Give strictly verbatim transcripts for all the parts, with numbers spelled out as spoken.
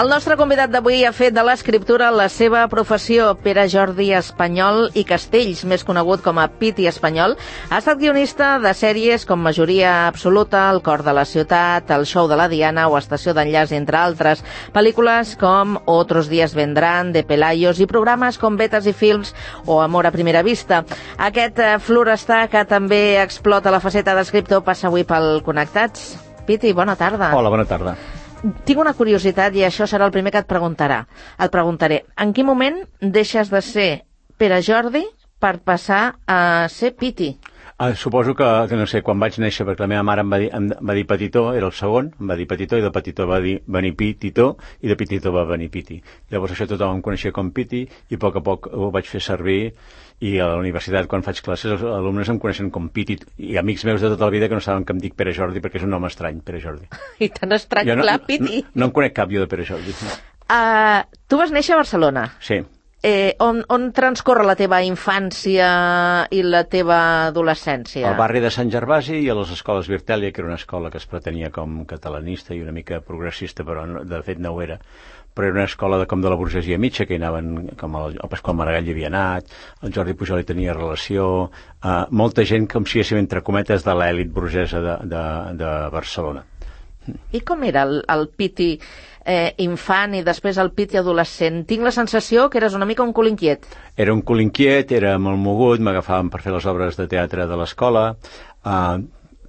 El nostre convidat d'avui ha fet de l'escriptura la seva professió. Pere Jordi Espanyol i Castells, més conegut com a Piti Espanyol, ha estat guionista de sèries com Majoria Absoluta, El cor de la ciutat, El show de la Diana o Estació d'enllaç, entre altres. Pel·lícules com Otros días vendrán, de Pelayos, i programes com Vetes i Films o Amor a primera vista. Aquest eh, florestar que també explota la faceta d'escriptor passa avui pel Connectats. Piti, bona tarda. Hola, bona tarda. Tinc una curiositat i això serà el primer que et preguntarà. Et preguntaré, en quin moment deixes de ser Pere Jordi per passar a ser Piti? Uh, suposo que, que, no sé, quan vaig néixer, perquè la meva mare em va dir, em va dir Petitó, era el segon, em va dir Petitó, i de Petitó va dir venir Pititó, i de Pititó va venir Piti. Llavors això tothom em coneixia com Piti, i a poc a poc ho vaig fer servir, i a la universitat, quan faig classes, els alumnes em coneixen com Piti, i amics meus de tota la vida que no saben que em dic Pere Jordi, perquè és un nom estrany, Pere Jordi. I tan estrany, no, clar, Piti. No, no em conec cap jo de Pere Jordi. Uh, tu vas néixer a Barcelona. Sí. Eh, on, on transcorre la teva infància i la teva adolescència? Al barri de Sant Gervasi i a les escoles Virtèlia, que era una escola que es pretenia com catalanista i una mica progressista, però no, de fet no ho era. Però era una escola de, com de la burgesia mitja, que hi anaven, com el, el Pasqual Maragall hi havia anat, el Jordi Pujol hi tenia relació, uh, molta gent, com si diguéssim, entre cometes, de l'èlit burgesa de, de, de Barcelona. I com era el, el Piti eh, infant i després el Piti adolescent? Tinc la sensació que eres una mica un cul inquiet. Era un cul inquiet, era molt mogut, m'agafaven per fer les obres de teatre de l'escola, uh,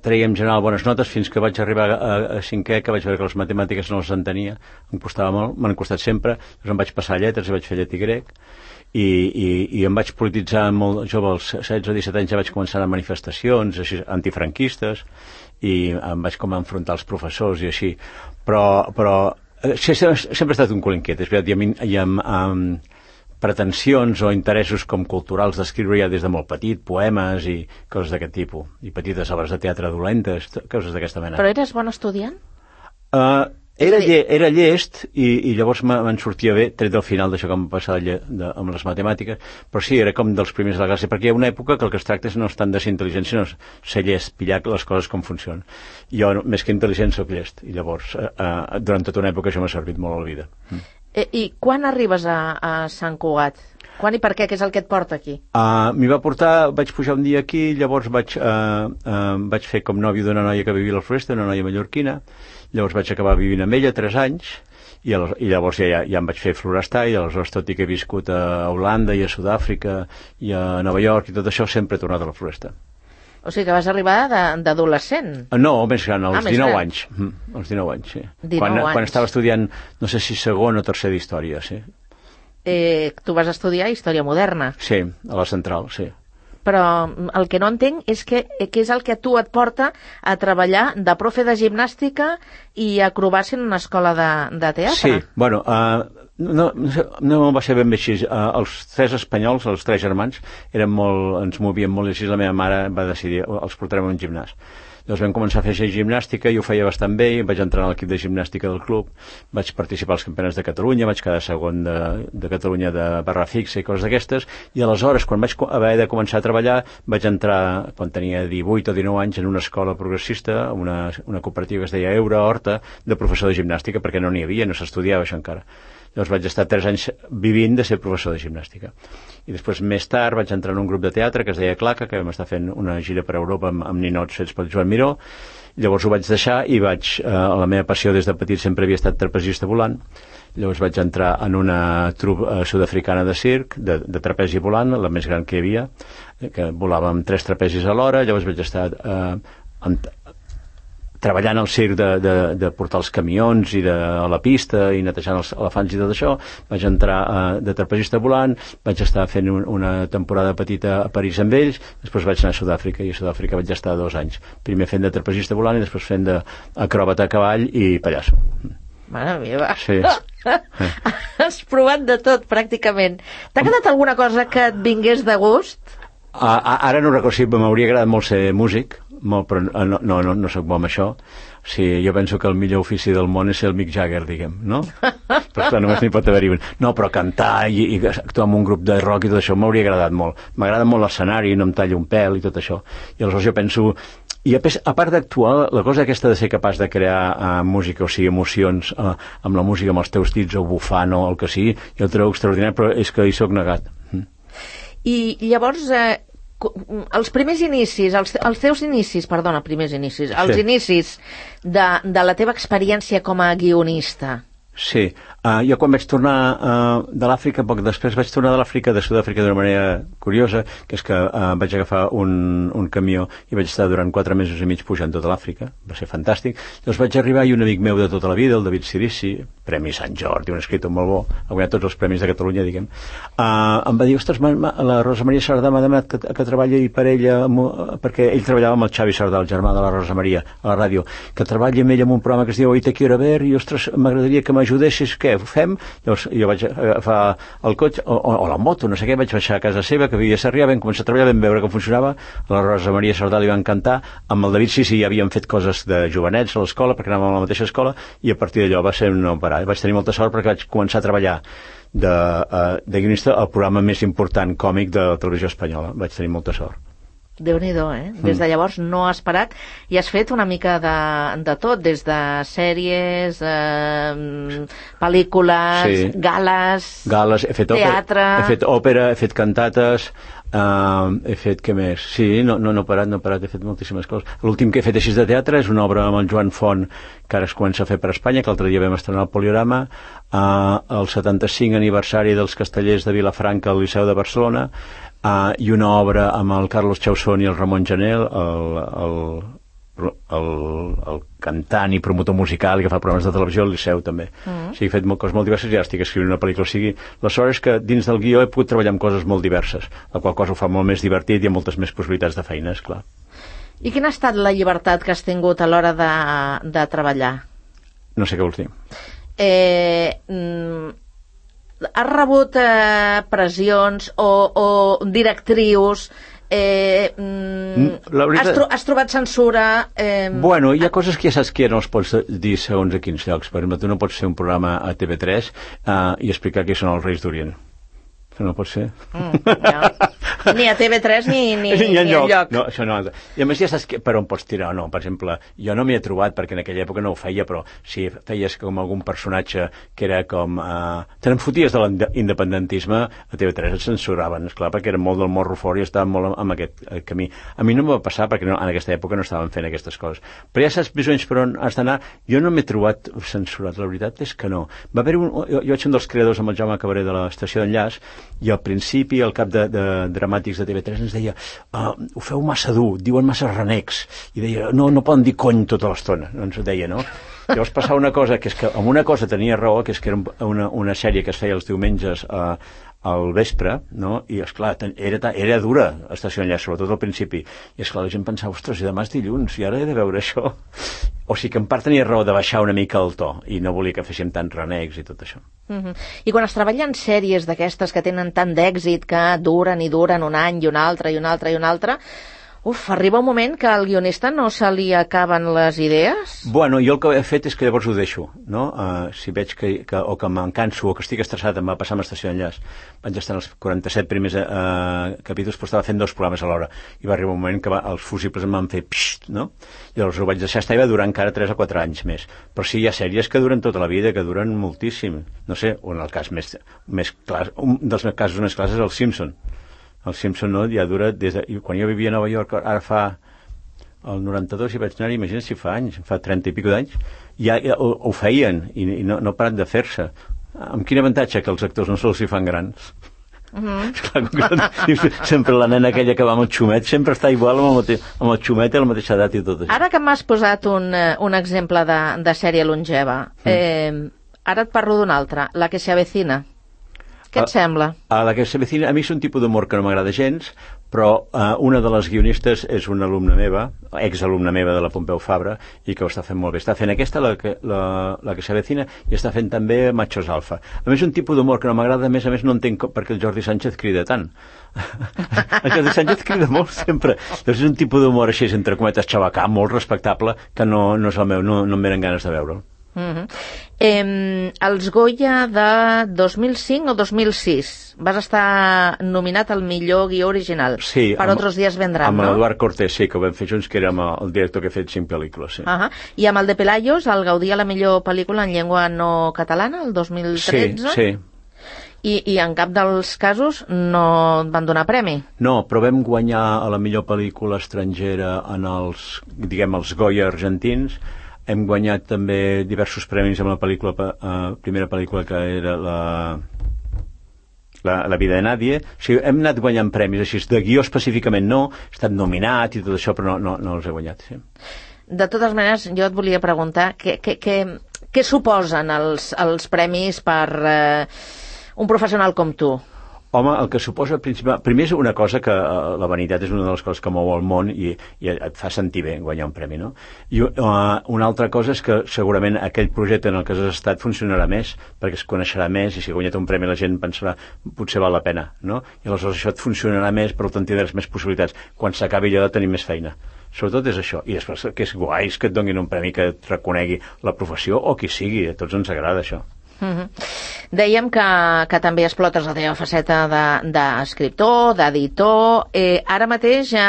treia en general bones notes fins que vaig arribar a, a cinquè, que vaig veure que les matemàtiques no les entenia, em costava molt, m'han costat sempre, llavors em vaig passar a lletres i vaig fer llatí grec, i, i, i em vaig polititzar molt jove, als setze o disset anys ja vaig començar a manifestacions així, antifranquistes, i em vaig com a enfrontar els professors i així, però, però sempre, sempre he estat un cul inquiet, és veritat, i amb, i amb, amb pretensions o interessos com culturals d'escriure ja des de molt petit, poemes i coses d'aquest tipus, i petites obres de teatre dolentes, coses d'aquesta mena. Però eres bon estudiant? Uh, era, lle, era llest i, i llavors me'n sortia bé, tret del final d'això que em passava de, de, amb les matemàtiques, però sí, era com dels primers de la classe, perquè hi ha una època que el que es tracta és no és tant de ser intel·ligent, sinó ser llest, pillar les coses com funcionen. Jo, més que intel·ligent, soc llest, i llavors, uh, uh, durant tota una època això m'ha servit molt a la vida. Mm. Eh, I quan arribes a, a Sant Cugat? Quan i per què? Què és el que et porta aquí? Uh, M'hi va portar, vaig pujar un dia aquí, llavors vaig, uh, uh, vaig fer com nòvio d'una noia que vivia a la Floresta, una noia mallorquina, llavors vaig acabar vivint amb ella tres anys, i, el, i llavors ja, ja, ja em vaig fer florestar, i aleshores tot i que he viscut a Holanda i a Sud-àfrica i a Nova York i tot això, sempre he tornat a la Floresta. O sigui que vas arribar d'adolescent? No, més gran, als ah, dinou gran. anys. Mm, als dinou anys, sí. dinou quan, anys. Quan estava estudiant, no sé si segon o tercer d'història, sí. Eh, tu vas estudiar Història Moderna? Sí, a la Central, sí. Però el que no entenc és que, que és el que tu et porta a treballar de profe de gimnàstica i acrobàcia en una escola de, de teatre. Sí, bueno, uh, no, no, no va ser ben bé així. Uh, els tres espanyols, els tres germans, eren molt, ens movien molt, i així la meva mare va decidir, els portarem a un gimnàs. Llavors vam començar a fer gimnàstica i ho feia bastant bé, i vaig entrar a l'equip de gimnàstica del club, vaig participar als campionats de Catalunya, vaig quedar segon de, de Catalunya de barra fixa i coses d'aquestes, i aleshores, quan vaig haver de començar a treballar, vaig entrar, quan tenia divuit o dinou anys, en una escola progressista, una, una cooperativa que es deia Eura Horta, de professor de gimnàstica, perquè no n'hi havia, no s'estudiava això encara. Llavors vaig estar tres anys vivint de ser professor de gimnàstica. I després, més tard, vaig entrar en un grup de teatre que es deia Claca, que vam estar fent una gira per Europa amb, amb ninots fets pel Joan Miró. Llavors ho vaig deixar i vaig, eh, la meva passió des de petit sempre havia estat trapezista volant. Llavors vaig entrar en una trupa eh, sud-africana de circ, de, de trapezi volant, la més gran que hi havia, que volava amb tres trapezis a l'hora. Llavors vaig estar eh, en, treballant al circ de, de, de portar els camions i de, a la pista i netejant els elefants i tot això. Vaig entrar uh, de trapezista volant, vaig estar fent un, una temporada petita a París amb ells, després vaig anar a Sud-àfrica, i a Sud-àfrica vaig estar dos anys. Primer fent de trapezista volant i després fent d'acròbata a cavall i pallasso. Mare meva. Sí. Has provat de tot, pràcticament. T'ha quedat alguna cosa que et vingués de gust? Uh, ara no recordo, si m'hauria agradat molt ser músic, molt, però no, no, no, no soc bo amb això. O sigui, jo penso que el millor ofici del món és ser el Mick Jagger, diguem, no? Però clar, només n'hi pot haver-hi un. No, però cantar i, i actuar en un grup de rock i tot això m'hauria agradat molt. M'agrada molt l'escenari, no em tallo un pèl i tot això. I aleshores jo penso, I a, pes, a part d'actuar, la cosa aquesta de ser capaç de crear uh, música, o sigui, emocions uh, amb la música, amb els teus dits, o bufant, o el que sigui, jo el trobo extraordinari, però és que hi soc negat. Mm. I llavors, eh, els primers inicis, els, els teus inicis, perdona, primers inicis, els sí. inicis de, de la teva experiència com a guionista. Sí, uh, jo quan vaig tornar uh, de l'Àfrica, poc després vaig tornar de l'Àfrica, de Sud-àfrica d'una manera curiosa, que és que uh, vaig agafar un, un camió i vaig estar durant quatre mesos i mig pujant tota l'Àfrica, va ser fantàstic. Llavors vaig arribar i un amic meu de tota la vida, el David Sirici, Premi Sant Jordi, un escriptor molt bo, ha guanyat tots els premis de Catalunya, diguem, uh, em va dir, ostres, ma, ma, la Rosa Maria Sardà m'ha demanat que, que treballi per ella, amb, perquè ell treballava amb el Xavi Sardà, el germà de la Rosa Maria, a la ràdio, que treballi amb ell en un programa que es diu Hoy te quiero ver, i ostres, m'agradaria que m'ajudessis, què, ho fem? Llavors jo vaig agafar el cotxe, o, o, o la moto, no sé què, vaig baixar a casa seva, que vivia a Sarrià, vam començar a treballar, vam veure com funcionava, a la Rosa Maria Sardà li va encantar, amb el David sí, sí, ja havíem fet coses de jovenets a l'escola, perquè anàvem a la mateixa escola, i a partir d'allò va ser no parar. Vaig tenir molta sort perquè vaig començar a treballar de, uh, de guionista al programa més important còmic de la televisió espanyola. Vaig tenir molta sort. Déu-n'hi-do, eh? Des de llavors no has parat i has fet una mica de, de tot, des de sèries, eh, pel·lícules, sí. gales, gales he fet teatre... Òpera, he fet òpera, he fet cantates, uh, he fet què més? Sí, no, no, no he parat, no he parat, he fet moltíssimes coses. L'últim que he fet així de teatre és una obra amb el Joan Font, que ara es comença a fer per Espanya, que l'altre dia vam estrenar al Poliorama, uh, el setanta-cinc aniversari dels Castellers de Vilafranca al Liceu de Barcelona, Uh, i una obra amb el Carlos Chausson i el Ramon Janel, el, el, el, el cantant i promotor musical i que fa programes de televisió al Liceu també. Mm. O sigui, he fet molt, coses molt diverses i ara estic escrivint una pel·lícula. O sigui, la sort és que dins del guió he pogut treballar amb coses molt diverses, la qual cosa ho fa molt més divertit i amb moltes més possibilitats de feina, esclar. I quina ha estat la llibertat que has tingut a l'hora de, de treballar? No sé què vols dir. Eh... Mm... Has rebut eh, pressions o, o directrius, eh, mm, veritat... has, tro has trobat censura... Eh... Bueno, hi ha coses que ja saps que no es pots dir segons a quins llocs. Per exemple, tu no pots fer un programa a T V tres eh, i explicar qui són els Reis d'Orient. Això no pot ser. Mm, ja. Ni a T V tres ni, ni, ni, ni enlloc. enlloc. No, això no. I a més ja saps que, per on pots tirar o no. Per exemple, jo no m'hi he trobat perquè en aquella època no ho feia, però si feies com algun personatge que era com... Uh, te n'enfoties de l'independentisme, a T V tres et censuraven, esclar, perquè era molt del morro fort i estaven molt amb aquest eh, camí. A mi no em va passar perquè no, en aquesta època no estaven fent aquestes coses. Però ja saps més o menys per on has d'anar. Jo no m'he trobat censurat, la veritat és que no. Va haver un, jo, jo vaig ser un dels creadors amb el Jaume Cabré de l'Estació d'Enllaç i al principi el cap de, de dramàtics de T V tres ens deia uh, ho feu massa dur, diuen massa renecs i deia, no, no poden dir cony tota l'estona, ens ho deia, no? Llavors passava una cosa, que és que amb una cosa tenia raó, que és que era una, una sèrie que es feia els diumenges uh, al vespre, no? I esclar, era, era dura Estació d'Enllaç, sobretot al principi, i esclar, la gent pensava, ostres, i demà és dilluns i ara he de veure això. O sigui que en part tenia raó de baixar una mica el to i no volia que féssim tants renecs i tot això. Mm-hmm. I quan es treballen sèries d'aquestes que tenen tant d'èxit, que duren i duren un any i un altre i un altre i un altre, uf, arriba un moment que al guionista no se li acaben les idees? Bueno, jo el que he fet és que llavors ho deixo, no? Uh, si veig que, que o que me'n canso o que estic estressat, em va passar amb Estació d'Enllaç. Vaig estar en els quaranta-set primers uh, capítols, però estava fent dos programes a l'hora. I va arribar un moment que va, els fusibles em van fer pxt, no? I llavors ho vaig deixar estar i va durar encara tres o quatre anys més. Però sí, hi ha sèries que duren tota la vida, que duren moltíssim. No sé, o en el cas més, més clar, un dels meus casos més clars és el Simpson. El Simpson, no, ja dura des de... Quan jo vivia a Nova York, ara fa el noranta-dos, i vaig anar, imagina't si fa anys, fa trenta i pico d'anys, ja, ja ho, ho feien, i, i no, no paren de fer-se. Amb quin avantatge que els actors no se'ls hi fan grans? Mm-hmm. Clar, sempre la nena aquella que va amb el xumet sempre està igual amb el, mate... amb el xumet i la mateixa edat i tot això. Ara que m'has posat un, un exemple de, de sèrie longeva, mm. eh, ara et parlo d'una altra, La que se avecina. Què et sembla? A, a La que se avecina, a mi és un tipus d'humor que no m'agrada gens, però uh, una de les guionistes és una alumna meva, exalumna meva de la Pompeu Fabra, i que ho està fent molt bé. Està fent aquesta, la que, la, la que se avecina, i està fent també Machos Alfa. A més, un tipus d'humor que no m'agrada, a més a més no entenc per què el Jordi Sánchez crida tant. El Jordi Sánchez crida molt sempre. Doncs és un tipus d'humor així, entre cometes, xabacà, molt respectable, que no, no és el meu, no, no em venen ganes de veure'l. Uh-huh. eh, els Goya de dos mil cinc o dos mil sis vas estar nominat al millor guió original. Sí, per amb, Otros días vendrán, amb no? Amb l'Eduard Cortés, sí, que ho vam fer junts, que era amb el director que ha fet cinc pel·lícules, sí. Uh-huh. I amb el de Pelayos, el Gaudí a la millor pel·lícula en llengua no catalana, el dos mil tretze? Sí, sí. I, I en cap dels casos no van donar premi? No, però vam guanyar a la millor pel·lícula estrangera en els, diguem, els Goya argentins. Hem guanyat també diversos premis amb la pel·lícula, uh, primera pel·lícula que era la, la, la vida de Nadie. O sigui, hem anat guanyant premis així, de guió específicament no, he estat nominat i tot això, però no, no, no els he guanyat, sí. De totes maneres, jo et volia preguntar què, què, què, què suposen els, els premis per eh, un professional com tu? Home, el que suposa, principal... primer és una cosa que uh, la vanitat és una de les coses que mou el món i, i et fa sentir bé guanyar un premi, no? I uh, una altra cosa és que segurament aquell projecte en el que has estat funcionarà més, perquè es coneixerà més i si ha guanyat un premi la gent pensarà potser val la pena, no? I aleshores això et funcionarà més, però tant tindràs més possibilitats. Quan s'acabi allò de tenir més feina. Sobretot és això. I després que és guai és que et donin un premi que et reconegui la professió o qui sigui. A tots ens agrada això. Uh-huh. Dèiem que, que també explotes la teva faceta d'escriptor, de, d'editor. Eh, ara mateix ja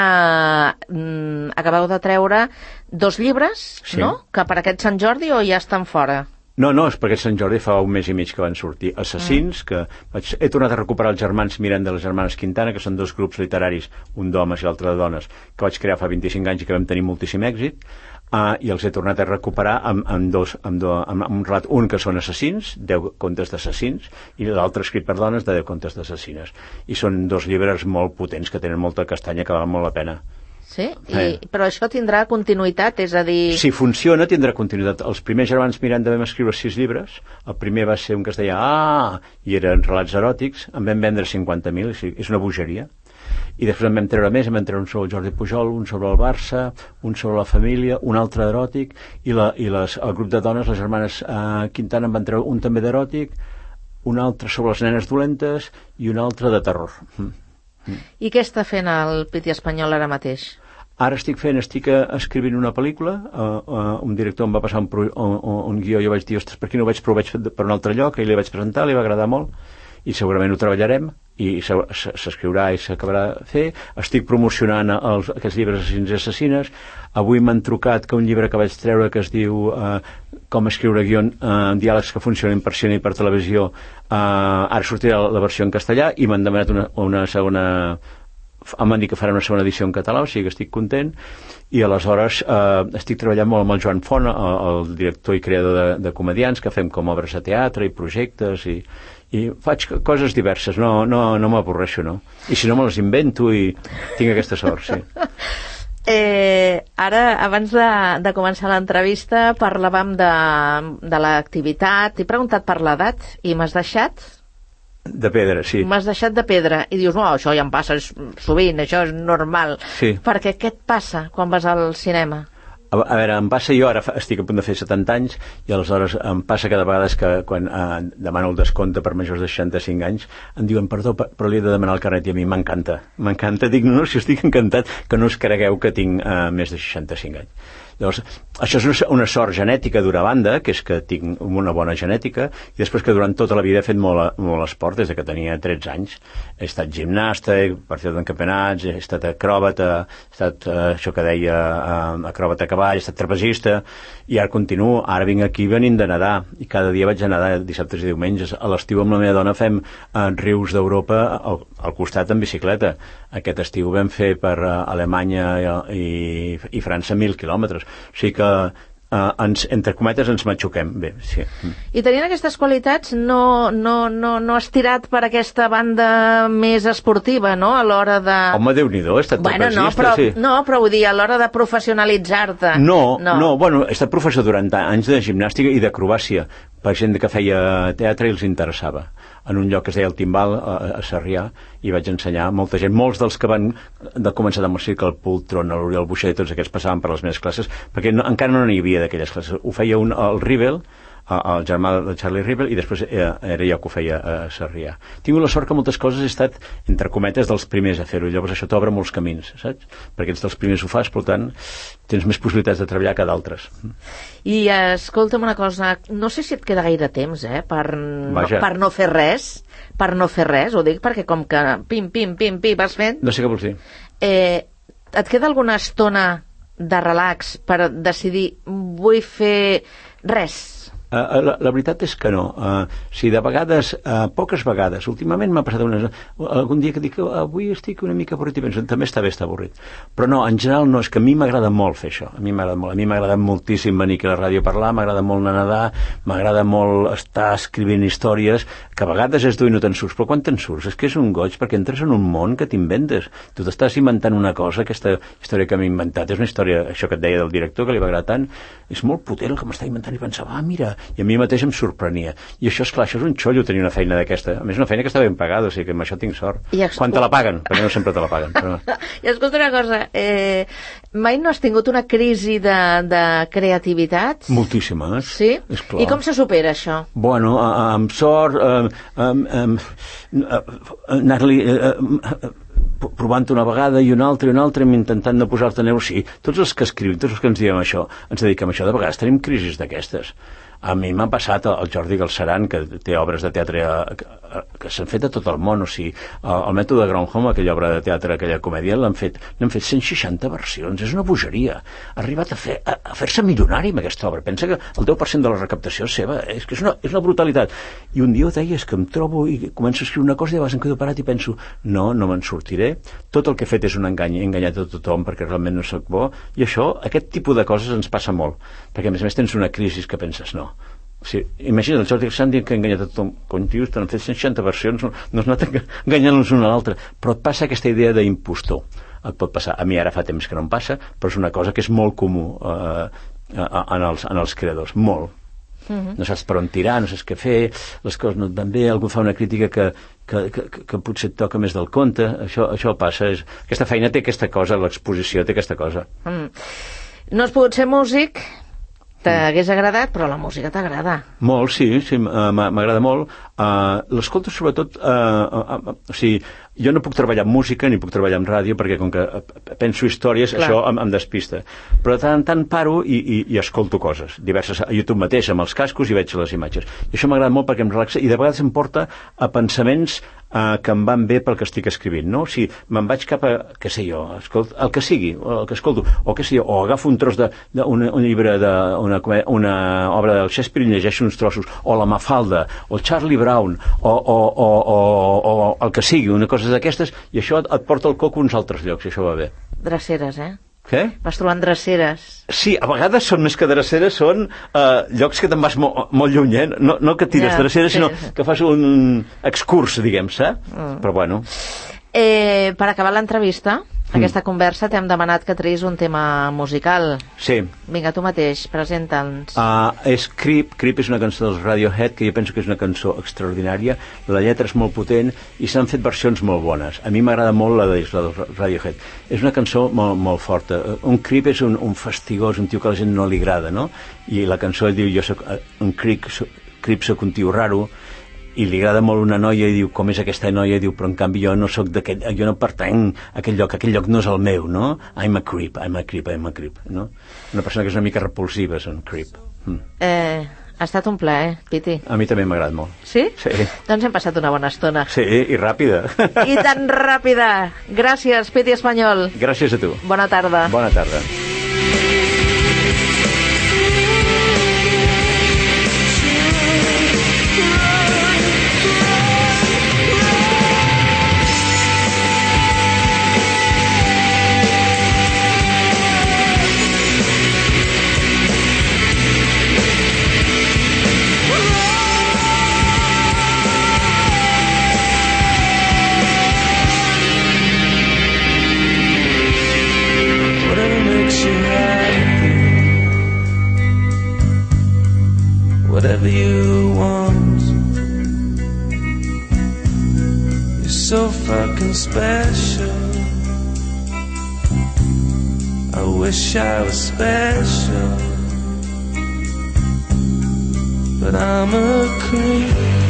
mm, acabeu de treure dos llibres, sí. No? Que per aquest Sant Jordi o ja estan fora? No, no, és perquè Sant Jordi fa un mes i mig que van sortir. Assassins, mm. que vaig, he tornat a recuperar els germans Miranda i les germanes Quintana, que són dos grups literaris, un d'homes i l'altre de dones, que vaig crear fa vint-i-cinc anys i que vam tenir moltíssim èxit. Uh, i els he tornat a recuperar amb, amb, dos, amb, do, amb, amb un relat, un que són assassins, deu contes d'assassins, i l'altre escrit per dones de deu contes d'assassines. I són dos llibres molt potents que tenen molta castanya que val molt la pena. Sí? I, eh. Però això tindrà continuïtat, és a dir... Si funciona, tindrà continuïtat. Els primers germans Miranda vam escriure sis llibres. El primer va ser un que es deia Ah! I eren relats eròtics. En vam vendre cinquanta mil, és una bogeria. I després en vam treure més, en vam treure un sobre el Jordi Pujol, un sobre el Barça, un sobre la família, un altre eròtic, i, la, i les, el grup de dones, les germanes eh, Quintana, en van treure un també d'eròtic, un altre sobre les nenes dolentes i un altre de terror. Mm. Mm. I què està fent el Piti Espanyol ara mateix? Ara estic fent, estic escrivint una pel·lícula, uh, uh, un director em va passar un, pro, un, un guió, jo vaig dir, ostres, per aquí no ho veig, però ho vaig fer per un altre lloc, i li vaig presentar, li va agradar molt, i segurament ho treballarem, i s'escriurà i s'acabarà de fer. Estic promocionant els, aquests llibres assassins i assassines. Avui m'han trucat que un llibre que vaig treure que es diu uh, Com escriure guion, uh, diàlegs que funcionen per cine i per televisió, uh, ara sortirà la versió en castellà i m'han demanat una, una segona... em van dir que farà una segona edició en català, o sigui que estic content, i aleshores eh, estic treballant molt amb el Joan Font, el, el director i creador de, de comedians, que fem com obres de teatre i projectes, i, i faig coses diverses, no, no, no m'avorreixo, no. I si no me les invento i tinc aquesta sort, sí. Eh, ara, abans de, de començar l'entrevista, parlàvem de, de l'activitat, t'he preguntat per l'edat i m'has deixat... De pedra, sí. M'has deixat de pedra i dius, no, això ja em passa sovint, això és normal. Sí. Perquè què et passa quan vas al cinema? A, a veure, em passa, jo ara fa, estic a punt de fer setanta anys i aleshores em passa cada vegada que quan eh, demano el descompte per majors de seixanta-cinc anys em diuen, perdó, però li he de demanar el carnet, i a mi m'encanta, m'encanta, dic, no, si estic encantat que no us cregueu que tinc eh, més de seixanta-cinc anys. Llavors, això és una, una sort genètica d'una banda, que és que tinc una bona genètica, i després que durant tota la vida he fet molt, molt esport, des de que tenia tretze anys. He estat gimnasta, he participat en campionats, he estat acròbata, he estat, eh, això que deia, eh, acròbata a cavall, he estat trapezista, i ara continuo, ara vinc aquí venint de nedar, i cada dia vaig a nedar dissabtes i diumenges. A l'estiu amb la meva dona fem eh, rius d'Europa al, al costat en bicicleta. Aquest estiu vam fer per uh, Alemanya i, i, i França mil quilòmetres. O sigui que, uh, ens, entre cometes, ens matxuquem bé. Sí. I tenint aquestes qualitats, no, no, no, no has tirat per aquesta banda més esportiva, no?, a l'hora de... Home, Déu-n'hi-do, he estat bueno, trapezista, no, però, sí. No, però vull dir, a l'hora de professionalitzar-te. No, no, no, bueno, he estat professor durant anys de gimnàstica i d'acrobàcia, per gent que feia teatre i els interessava. En un lloc que es deia el Timbal, a, a Sarrià, i vaig ensenyar a molta gent. Molts dels que van de començar amb el circ, el Pultron, l'Oriol Buixer, tots aquests passaven per les meves classes, perquè no, encara no n'hi havia d'aquelles classes. Ho feia un, el Rivel, el germà de Charlie Rivel, i després era, era jo que ho feia a Sarrià. He tingut la sort que moltes coses he estat, entre cometes, dels primers a fer-ho, llavors això t'obre molts camins, saps? Perquè ets dels primers ho fas, per tant, tens més possibilitats de treballar que d'altres. I escolta'm una cosa, no sé si et queda gaire temps, eh, per, no, per no fer res, per no fer res, ho dic perquè com que pim, pim, pim, pim, vas fent... No sé què vols dir. Eh, et queda alguna estona de relax per decidir vull fer res? Uh, la, la veritat és que no. Uh, sí, de vegades, uh, poques vegades, últimament m'ha passat una, algun dia que dic avui estic una mica avorrit i penso, també està bé estar avorrit. Però no, en general no, és que a mi m'agrada molt fer això. A mi m'agrada molt. A mi m'agrada moltíssim venir aquí a la ràdio a parlar, m'agrada molt anar a nedar, m'agrada molt estar escrivint històries, que a vegades és dur i no te'n surts, però quan te'n surts és que és un goig perquè entres en un món que t'inventes. Tu t'estàs inventant una cosa, aquesta història que m'he inventat, és una història, això que et deia del director, que li va agradar tant, és molt potent el que m'està inventant, i pensava, ah, mira, i a mi mateix em sorprenia. I això, esclar, això és un xollo tenir una feina d'aquesta. A més, una feina que està ben pagada, o sigui que amb això tinc sort. Escol... Quan te la paguen, perquè no sempre te la paguen. Però... I escolta una cosa, eh, mai no has tingut una crisi de, de creativitat? Moltíssimes. Sí? Esclar. I com se supera això? Bueno, amb sort, eh, eh, eh, anar-li... Eh, provant una vegada i una altra i una altra, intentant no posar-te neu. Sí, tots els que escrivim, tots els que ens diem això, ens dediquem a això, de vegades tenim crisis d'aquestes. A mi m'ha passat el Jordi Galceran, que té obres de teatre que, que s'han fet a tot el món, o sigui, el mètode de Gronholm, aquella obra de teatre, aquella comèdia, l'han fet, n'han fet cent seixanta versions, és una bogeria. Ha arribat a, fer, a, a fer-se milionari amb aquesta obra. Pensa que el deu per cent de la recaptació és seva, és que és una, és una brutalitat. I un dia ho deia, és que em trobo i començo a escriure una cosa i de vegades em quedo parat i penso, no, no me'n sortiré, tot el que he fet és un engany, he enganyat a tothom perquè realment no sóc bo, i això, aquest tipus de coses ens passa molt, perquè a més a més tens una crisi que penses, no. O sigui, imagina't, el Jordi Galceran dient que ha enganyat a tothom, com dius, t'han fet cent seixanta versions, no, no has anat enganyant-los una a l'altra, però et passa aquesta idea d'impostor. Et pot passar, a mi ara fa temps que no em passa, però és una cosa que és molt comú eh, en, els, en els creadors, molt. Uh-huh. No saps per on tirar, no saps què fer, les coses no et van bé, algú fa una crítica que, que, que, que potser et toca més del compte, això, això passa. És, aquesta feina té aquesta cosa, l'exposició té aquesta cosa. Mm. No has pogut ser músic, t'hagués agradat, però la música t'agrada. Molt, sí, sí, m'agrada molt. Uh, l'escolto sobretot, uh, uh, uh, o sigui, jo no puc treballar amb música ni puc treballar amb ràdio perquè com que penso històries, clar, això em, em despista. Però de tant en tant paro i, i, i escolto coses diverses a YouTube mateix, amb els cascos, i veig les imatges. I això m'agrada molt perquè em relaxa i de vegades em porta a pensaments uh, que em van bé pel que estic escrivint, no? O sigui, me'n vaig cap a, què sé jo, escolto, el que sigui, el que escolto, o què sé jo, o agafo un tros de, de un, un llibre de una, una obra del Shakespeare i llegeixo uns trossos, o la Mafalda, o el Charlie Brown, o, o, o, o, o el que sigui, una cosa d'aquestes, i això et, et porta el coco a uns altres llocs, i això va bé. Dreceres, eh? Què? Vas trobant dreceres. Sí, a vegades són més que dreceres, són uh, llocs que te'n vas molt, molt lluny, eh? No, no que tires ja, dreceres, sí, sinó que fas un excurs, diguem, saps? Mm. Però bueno. Eh, per acabar l'entrevista, aquesta conversa, t'hem demanat que treguis un tema musical. Sí. Vinga, tu mateix, presenta'ns. Uh, és Creep. Creep és una cançó dels Radiohead, que jo penso que és una cançó extraordinària. La lletra és molt potent i s'han fet versions molt bones. A mi m'agrada molt la dels Radiohead. És una cançó molt, molt forta. Un creep és un, un fastigós, un tio que a la gent no li agrada, no? I la cançó diu, jo soc un creep, soc, creep soc un tio raro, i li agrada molt una noia i diu, com és aquesta noia? I diu, però en canvi jo no soc d'aquell, jo no pertanc a aquell lloc, aquell lloc no és el meu, no? I'm a creep, I'm a creep, I'm a creep, no? Una persona que és una mica repulsiva és un creep. Mm. Eh, ha estat un plaer, Piti. A mi també m'ha agradat molt. Sí? Sí. Doncs hem passat una bona estona. Sí, i ràpida. I tan ràpida. Gràcies, Piti Espanyol. Gràcies a tu. Bona tarda. Bona tarda. Whatever you want, you're so fucking special. I wish I was special, but I'm a creep.